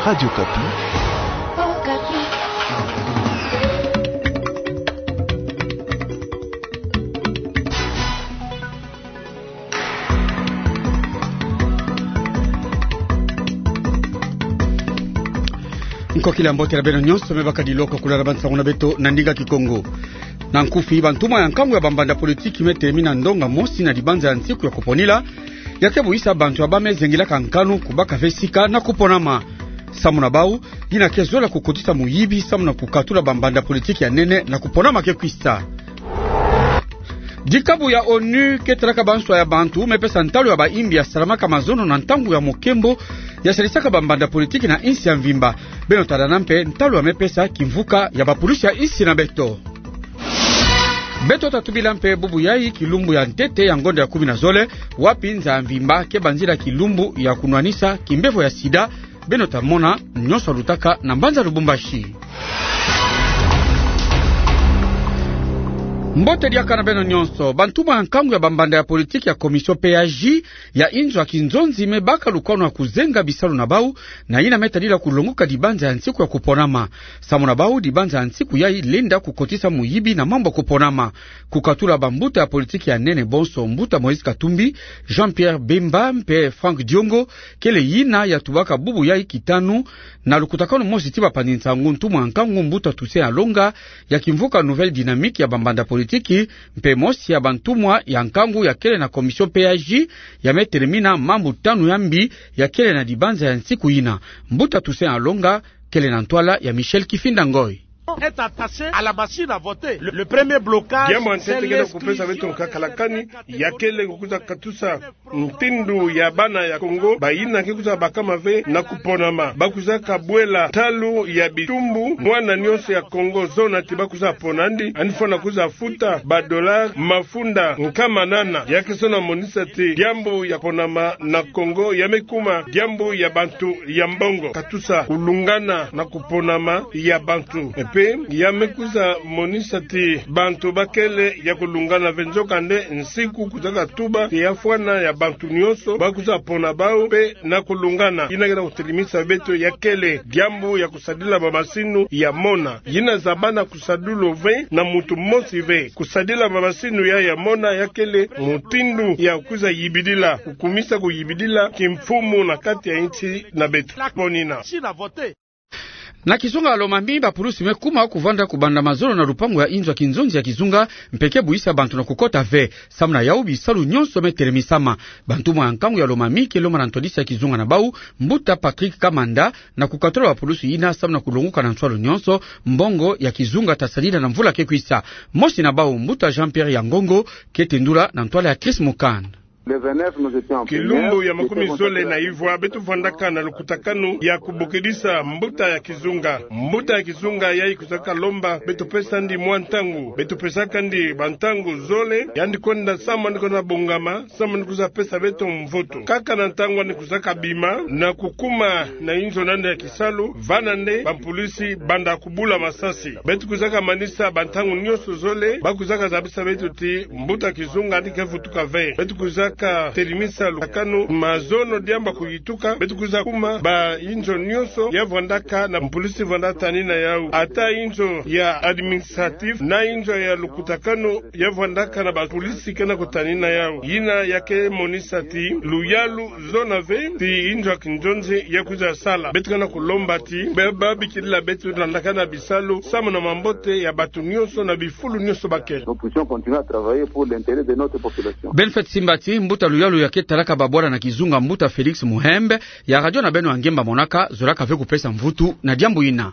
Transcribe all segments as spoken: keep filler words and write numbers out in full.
Radio Okapi. Nkokila mbote na beno nyonso, me baka diloko kulala ba nsangu na beto na ndinga Kikongo. Na nkufi, bantumwa ya nkangu ya bambanda politiki me telemina ndonga mosi na libanza ya nsiku ya kuponila, ya ke buisa bantu ya ba me zengilaka nkanu kubaka ve sika na kuponama. Samu na bau, yina ke zola kukotisa muyibi samu na kukatula bambanda politiki ya nene na kuponama ke kwisa. Dikabu ya onu ke talaka banswa ya bantu me pesa ntalu ya bayimbi ya salamaka mazono na ntangu ya mukembo ya salisaka bambanda politiki na insi ya mvimba. Beno tala na mpe ntalu ya me pesa kimvuka ya bapulusi ya insi na beto. Beto ta tubila mpe bubu yayi kilumbu ya ntete ya ngonda ya kumi na zole, wapi nza ya mvimba ke banzila kilumbu ya kunwanisa kimbevo ya sida. Beno ta mona nyonso ya lutaka na mbanza Lubumbashi. Mbote diaka na beno nyonso. Bantumwa ya nkangu ya bambanda ya politiki ya Commission P A J ya inzo ya kinzonzi me baka lukwano ya kuzenga bisalu na bau, na yina me tadila kulonguka libanza ya nsiku ya kuponama. Samu na bau, libanza ya nsiku yayi lenda kukotisa muyibi na mambu ya kuponama. Kukatula bambuta ya politiki ya nene bonso, mbuta Moïse Katumbi, Jean-Pierre Bemba mpe Franck Diongo, kele yina ya tubaka bubu yayi kitanu, na lukutakanu mosi ti bapanzi nsangu, ntumwa ya nkangu mbuta Toussaint Alonga, ya kimvuka Nouvelle Dynamique ya bambanda politiki, mpe mosi ya bantumwa ya nkangu ya kele na Commission P A J, ya me telemina mambu tanu ya mbi ya kele na libanza ya nsiku yina. Mbuta Toussaint Alonga kele na ntwala ya Michel Kifinda Ngoi. Est attaché à la machine à voter. Le, le premier blocage, diambu ya ntete ke na kupesa beto nkaka la kani, ya kele kukwiza katusa mutindu ya bana ya Kongo, bayina ke kwiza bakama ve na kuponama. Ba kwizaka bwela ntalu ya bitumbu, mwana nyonso ya Kongo zona ti ba kwiza pona ndi, yandi fwana kwiza futa ba dollars mafunda nkama nana. Ya ke zona monisa ti diambu ya kuponama na Kongo ya me kuma diambu ya bantu ya mbongo. Katusa kulungana na kuponama ya bantu. Mpe ya me kwiza monisa ti bantu ba kele ya kulungana ve, nzokande nsiku kwizaka tuba ti ya fwana ya bantu nyonso ba kwiza pona bau mpe na kulungana. Yina ke na kutelemisa beto ya kele diambu ya kusadila bamasinu ya mona. Yina zabana kusadulu ve na muntu mosi ve. Kusadila bamasinu ya, ya mona ya kele mutindu ya kwiza yibidila, kukumisa kuyibidila kimfumu na kati ya insi na beto. Ponina. Na kizunga ya Lomami, bapulusi me kuma kuvanda kubanda mazono na lupangu ya inzo ya kinzonzi ya kizunga, mpe ke buisa bantu na kukota ve. Samu na yau, bisalu nyonso me telemisama. Bantumwa ya nkangu ya Lomami ke lomba na ntwadisi ya kizunga na bau, mbuta Patrick Kamanda, na kukatula bapulusi yina samu na kulonguka na nswalu nyonso mbongo ya kizunga ta sadila na mvula ke kwisa. Mosi na bau, mbuta Jean-Pierre Yangongo, ke tendula na ntwala ya Chris Mukand. Kilumbu ya makumi zole na ivwa, beto vwandaka na lukutakanu ya kubokidisa mbuta ya kizunga. Mbuta ya kizunga yayi kwizaka lomba beto pesa ndi mwa ntangu. Beto pesaka ndi bantangu zole, yandi kwenda samu yandi kwenda bongama, samu yandi kwiza pesa beto mvoto. Kaka na ntangu yandi kwizaka bima na kukuma na inzo na yandi ya kisalu, vana nde bapulusi banda kubula masasi. Beto kwizaka manisa bantangu nyonso zole, ba kwizaka zabisa beto ti mbuta kizunga yandi ke vutuka ve. Beto kwizaka telemisa lukutakanu, mazono diambu ya kuyituka, beto kwiza kuma ba inzo nyonso ya vwandaka na pulusi vwanda tanina yau. Ata inzo ya administratif na inzo ya lukutakanu ya vwandaka na bapulusi ke na kutanina yau. Yina ya ke monisa ti luyalu zona ve ti inzo ya kinzonzi ya kwiza sala. Beto ke na kulomba ti ba, ba bikilila beto landaka na bisalu samu na mambote ya bato nyonso na bifulu nyonso ba kele. Nous puissions continuer à travailler pour l'intérêt de notre population. Beno fweti simba ti mbuta luyalu ya ke talaka babwala na kizunga, mbuta Félix Muhembe, ya radio na beno ya ngemba monaka, zolaka ve kupesa mvutu na diambu yina.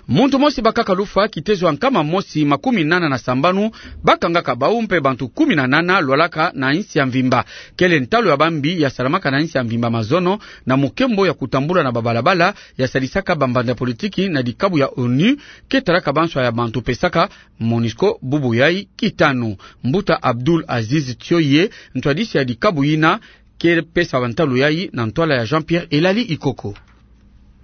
Muntu mosi bakaka lufwa, kitezo ya nkama mosi makumi nana na sambanu bakangaka bau mpe bantu kumi na nana lwalaka na insi ya mvimba. Kele ntalu ya bambi ya salamaka na insi ya mvimba mazono na mukembo ya kutambula na babalabala ya sadisaka bambanda politiki na dikabu ya onu ke talaka banswa ya bantu pesaka, MONUSCO, bubu yayi kitanu. Mbuta Abdoul Aziz Thioye, ntwadisi ya dikabu yina, ke pesa bantalu yayi na ntwala ya Jean-Pierre Elali Ikoko.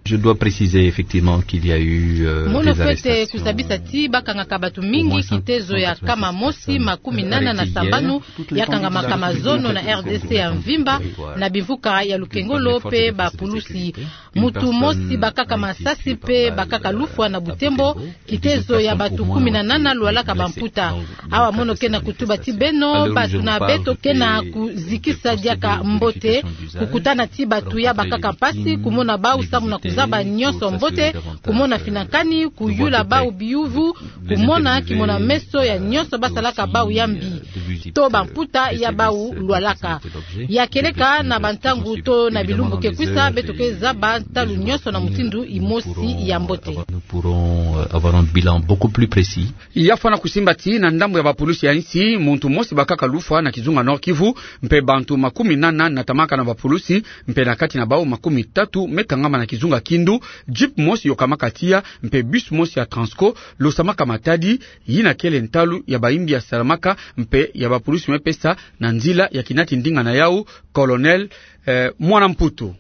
Je dois préciser effectivement qu'il y a eu, euh, des arrestations. Mono fwete kusabisa ti bakangaka bato mingi kitezo ya kama mosi makumi nana na sambanu, ya kangamaka mazono na R D C ya mvimba, na bimvuka ya Lukengolo mpe bapulusi. Mutu mosi bakaka masasi mpe bakaka lufwa na Butembo, kitezo ya bato kumi na nana lwalaka bamputa. Awa mono ke na kutuba ti beno, bato na beto ke na kuzikisa diaka mbote, kukutana ti bato ya bakaka mpasi, kumona bau samu na kuzaba nyonso mbote, kumona finakani, kuyula bau biyuvu, kumona kimona-meso ya nyonso basalaka bau ya mbi, to bamputa ya bau lwalaka. Ya kieleka na bantangu to na bilumbu ke kwisa, beto ke zaba ntalu nyonso na mutindu imosi ya mbote. Nous pourrons, euh, avoir un bilan beaucoup plus précis. Ya fwana kusimba ti na ndambu ya bapulusi ya insi, muntu mosi bakaka lufwa na kizunga Nord-Kivu, mpe bantu makumi nana natamaka na bapulusi, mpe na kati na bau makumi tatu me kangama na kizunga Kindu. Jeep mosi yokamaka tiya, mpe bus mosi ya Transco losamaka matadi. Yina kele ntalu ya bayimbi yasalamaka mpe ya bapulusi me pesa na nzila ya kinati ndinga na yau, Colonel, eh, Mwana Mputu.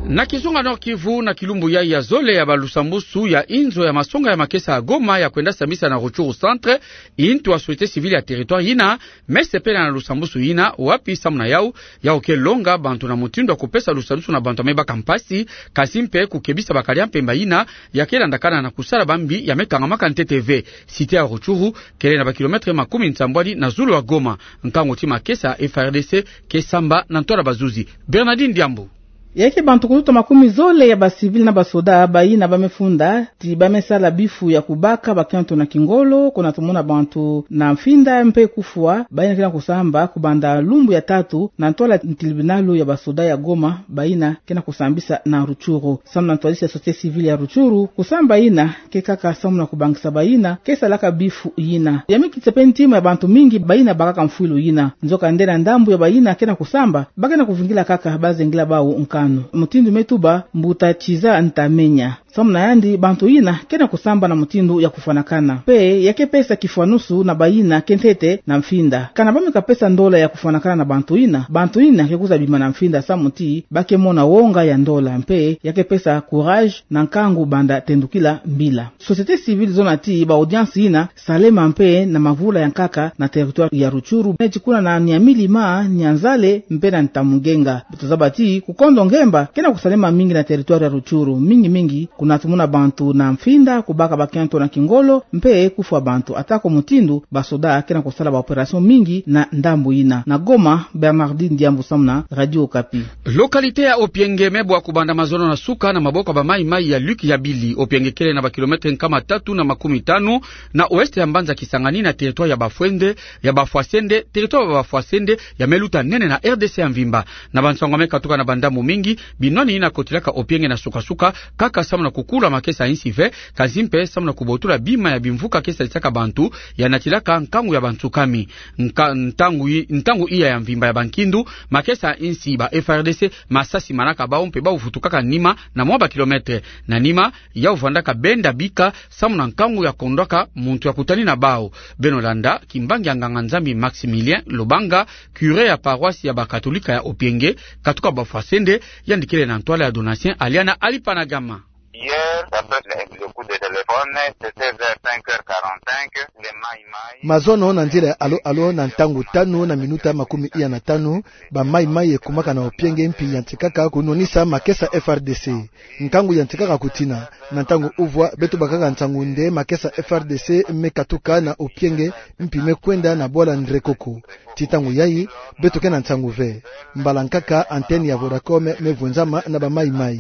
Na kizunga Nord-Kivu, na kilumbu yai ya zole ya balusambusu ya inzo ya masonga ya makesa ya Goma ya kwenda sambisa na Rutshuru Centre, intu ya société civile ya territoire yina me sepela na lusambusu yina, wapi samu na yau, yau ke longa bantu na mutindu ya kupesa lusambusu na bantu ya me baka mpasi, kasi mpe kukebisa bakadi ya mpemba yina ya ke landakana na kusala bambi ya me kangamaka ntete ve. Cité ya Rutshuru kele na bakilomètre makumi nsambwadi na zulu ya Goma. Nkangu ti makesa ya F A R D C ke samba na ntwala bazuzi. Bernardine Diambu. Ya ke bantu kututa makumi zole ya bacivil na basoda bayina ba me funda ti ba me sala bifu ya kubaka bakiantu na kingolo, kuna tumona bantu na mfinda mpe kufwa, bayina ke na kusamba kubanda lumbu ya tatu na ntwala ntilibinalu ya basoda ya Goma, bayina ke na kusambisa na Rutshuru. Samu na ntwadisi ya société civile ya Rutshuru, kusamba yina ke kaka samu na kubangisa bayina ke salaka bifu yina. Ya me kitisa mpe ntima ya bantu mingi bayina bakaka mfwilu yina. Nzokande na ndambu ya bayina ke na kusamba, ba ke na kuvingila kaka bazengila bau nkanu. Mutindu me tuba Mbuta Kiza Ntamenya. Samu na yandi, bantu yina ke na kusamba na mutindu ya kufwanakana. Mpe ya ke pesa kifwanusu na bayina ke ntete na mfinda. Kana ba me kapesa ndola ya kufwanakana na bantu yina, bantu yina ke kwiza bima na mfinda samu ti ba ke mona wonga ya ndola. Mpe ya ke pesa courage na nkangu banda tendukila mbila. Société civile zona ti ba audience yina salema mpe na mavula ya nkaka na territoire ya Rutshuru, neti kuna na Niamey-Lima, Nyanza-le, mpe na Ntamu-Ngenga. Beto zaba ti kukondo ngemba ke na kusalema mingi na territoire ya Rutshuru, mingi mingi kuna tumona bantu na mfinda kubaka bakiantu na kingolo, mpe kufwa bantu, ata ko mutindu basoda ke na kusala ba opération mingi na ndambu yina. Na Goma, Bernardine Diambu samu na Radio Okapi. Localité ya Opienge me bwa kubanda mazono na suka na maboko ya ba Maï-Maï ya Luc Yabili. Opienge kele na bakilomètre nkama tatu na makumi tanu na ouest ya mbanza Kisangani, na territoire ya Bafwende, ya Bafwasende, territoire ya Bafwasende ya me luta nene na R D C ya mvimba. Na bansangu ya me katuka na bandambu mingi, binwani yina kotilaka Opienge na suka-suka, kaka samu na kukula makesa ya insi ve, kasi mpe samu na kubotula bima ya bimvuka ke salisaka bantu, ya natilaka nkangu ya bansukami. Nka-, ntangu yi-, ntangu iya ya mvimba ya bankindu, makesa ya insi, ba F A R D C, masasi malaka bau mpe bau vutukaka nima na mwa bakilomètre. Na nima, yau vandaka benda bika samu na nkangu ya kondwaka muntu ya kutani na bau. Beno landa kimbangi ya nganga-Nzambi Maximilien Lobanga, curé ya paroisse ya bakatolika ya Opienge, katuka Bafwasende, yandi kele na ntwala ya Donatien Aliana Alipanagama. Hier, d'après les, les coups de téléphone, c'était vers cinq heures quarante-cinq, les Maï-Maï. Mazono na nzila ya alo-alo na ntangu tanu na minuta makumi iya na tanu, ba Maï-Maï ekumaka na Opienge mpi yantikaka kunwanisa makesa F A R D C. Nkangu yantikaka kutina, na ntangu uvwa beto bakaka nsangu nde makesa F A R D C me katuka na Opienge mpi me kwenda na bwala Ndrekoko. Ti ntangu yayi, beto ke na nsangu ve. Mbala nkaka antenne ya Vodacom me vunzama na ba Maï-Maï.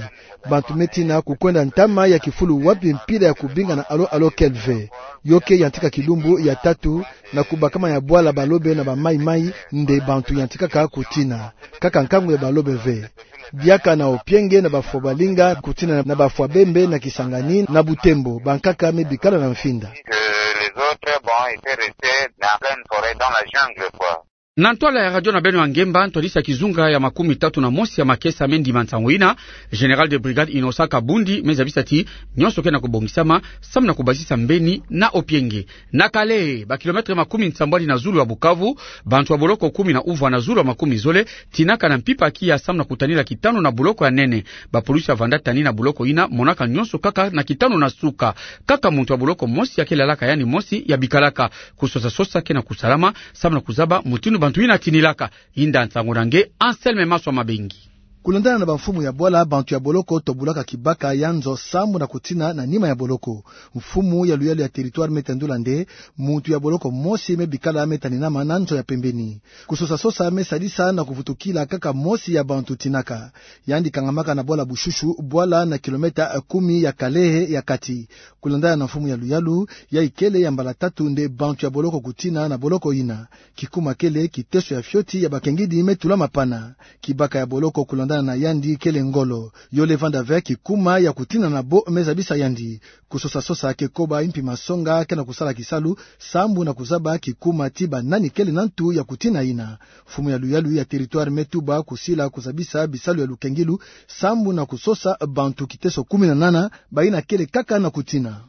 Bantu me tina kukwenda ntama ya kifulu wapi mpila ya kubinga na alo-alo kele ve. Yo ke yantika kilumbu ya tatu na kubakama ya bwala Balobe na ba Maï-Maï, nde bantu yantikaka kutina. Kaka nkangu ya Balobe ve. Diaka na Opienge na bafwa Balinga, kutina na bafwa Bembe na Kisangani na Butembo, bankaka me bikala na mfinda. Que les autres, bon, étaient restés dans la plaine forêt, dans la jungle, quoi. Na ntwala ya radio na beno ya ngemba, ntwadisi ya kizunga ya makumi tatu na mosi ya makesa me ndima nsangu ina, Général de brigade Innocent Kabundi me zabisa ti nyonso ke na kubongisama samu na kubasisa mbeni na opienge. Na Kalehe, ba kilomètre makumi nsambwadi na zulu ya Bukavu, bantu ya boloko kumi na uvwa na zulu ya makumi zole tinaka na mpimpa ya kiya samu na kutanila kitanu na boloko ya nene. Ba pulusi ya vanda tani na boloko ina monaka nyonso kaka na kitanu na suka. Kaka muntu ya boloko mosi ya ke lalaka yandi mosi ya bikalaka. Kusosa-sosa ke na kusalama samu na kuzaba mutindu bantu ina tinilaka. Yinda nsangu na nge Anselme Maswa Mabengi. Kulandana na bamfumu ya bwala, bantu ya boloko tobulaka kibaka ya nzo sambu na kutina na nima ya boloko. Mfumu ya luyalu ya territoire me tendula nde muntu ya boloko mosi me bikala me taninama na nzo ya pembeni. Kusosa-sosa me sadisa na kuvutukila kaka mosi ya bantu tinaka. Yandi kangamaka na bwala Bushushu, bwala na kilomètre kumi ya Kalehe ya kati. Kulandana na mfumu ya luyalu, yayi kele ya mbala tatu nde bantu ya boloko kutina na boloko ina. Kikuma kele kiteso ya fioti ya bakengidi me tulama pana. Kibaka ya boloko kulandana na yandi kele ngolo. Yole vanda ve kikuma ya kutina na bo me zabisa yandi. Kusosa-sosa ke koba impi masonga ke na kusala kisalu sambu na kuzaba kikuma ti banani kele na ntu ya kutina ina. Mfumu ya luyalu ya territoire me tuba kusila kuzabisa bisalu ya lukengilu sambu na kusosa bantu kiteso kumi na nana baina kele kaka na kutina.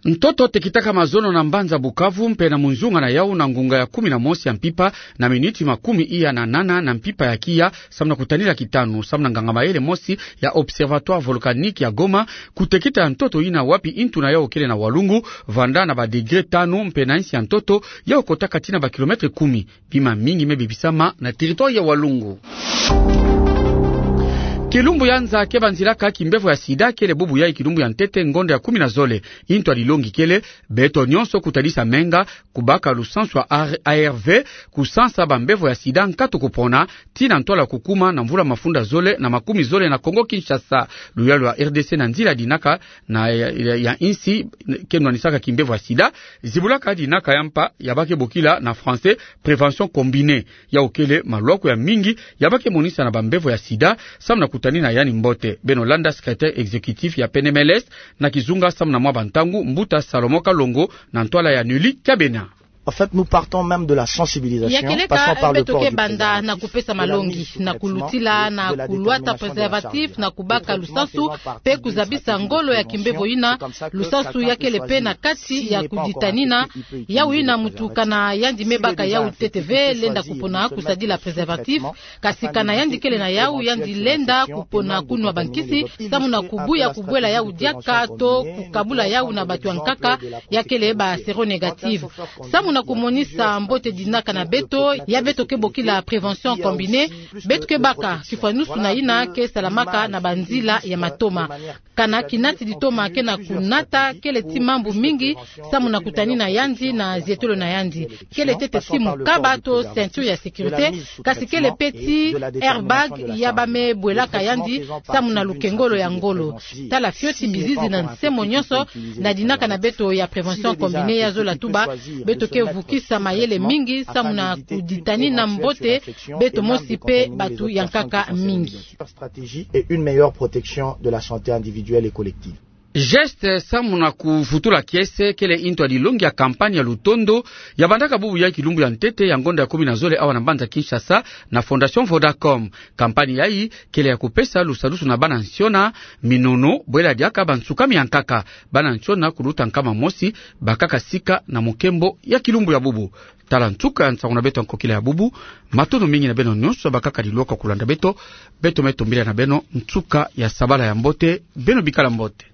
Ntoto tekitaka mazono na mbanza Bukavu mpe na munzunga na yau na ngunga ya kumi na mosi ya mpimpa na miniti makumi iya na nana na mpimpa ya kiya samu na kutanila kitanu, samu na nganga-mayele mosi ya Observatoire Volcanique ya Goma, kutekita ya ntoto ina wapi intu na yau kele na Walungu, vanda na ba degré tanu mpe na nsi ya ntoto yau kotaka tii na ba kilomètre kumi. Bima mingi me bebisama na territoire ya Walungu. Kilumbu ya nza ke banzilaka kimbevo ya sida kele bubu yayi kilumbu ya ntete ngonda ya kumi na zole. Intu ya dilongi kele beto nyonso kutadisa menga, kubaka lusansu ya A R V, kusansa bambevo ya sida nkatu kupona, tii na ntwala kukuma na mvula mafunda zole na makumi zole na Kongo Kinshasa. Luyalu ya R D C na nzila ya dinaka na ya, ya, ya insi ke nwanisaka kimbevo ya sida, zibulaka dinaka ya mpa ya ba ke bokila na français prévention combinée. Yau kele malwaku ya mingi ya ba ke monisa na bambevo ya sida samu na kutanina yandi mbote. Beno landa secrétaire exécutif ya P N M L S na kizunga samu na mwa bantangu, mbuta Salomon Kalongo, na ntwala ya Nelly Kabena. En fait, nous partons même de la sensibilisation, ya keleka, passant par le beto port ke du banda préservatif, na kupesa malongi, na kulutila na kulwata préservatif, na kubaka lusansu, mpe kuzabisa ngolo ya kimbevo ina, lusansu ya kele mpe na kati ya kuditanina. Yau ina muntu kana yandi me baka yau ntete ve, lenda kupona kusadila préservatif, kasi kana yandi kele na yau, yandi lenda kupona kunwa bankisi samu na kubuya kubwela yau diaka to kukabula yau na batu ya nkaka ya kele ba séronégatif. Samu na kumonisa mbote dinaka na beto ya beto ke bokila prévention combinée, beto ke baka kifwanusu na ina ke salamaka na banzila ya matoma. Kana kinati ditoma ke na kunata kele ti mambu mingi samu na kutanina yandi na zietolo na yandi. Kele ntete ti mukaba to ceinture ya sécurité, kasi kele mpe ti airbag ya ba me bwelaka yandi samu na lukengolo ya ngolo. Tala fioti bizizi na nse mo nyonso na dinaka na beto ya prévention combinée ya zola tuba, beto ke vukisa mayele mingi samu na kuditanina mbote beto mosi mpe batu ya nkaka mingi. Stratégie et une meilleure protection de la santé individuelle et collective. Geste samu na kuvutula kiese kele intu ya dilongi ya campagne ya lutondo ya bandaka bubu ya kilumbu ya ntete ya ngonda ya kumi na zole awa na mbanza Kinshasa na Fondation Vodacom. Campagne yayi kele ya kupesa lusadusu na bana nsiona minono, bwela diaka bansukami ya nkaka. Bana nsiona kuluta nkama mosi bakaka sika na mukembo ya kilumbu ya bubu. Tala nsuka ya nsangu na beto ya nkokila ya bubu. Matondo mingi na beno nyonso bakaka dilwaka kulanda beto. Beto me tumbila na beno nsuka ya sabala ya mbote. Beno bikala mbote.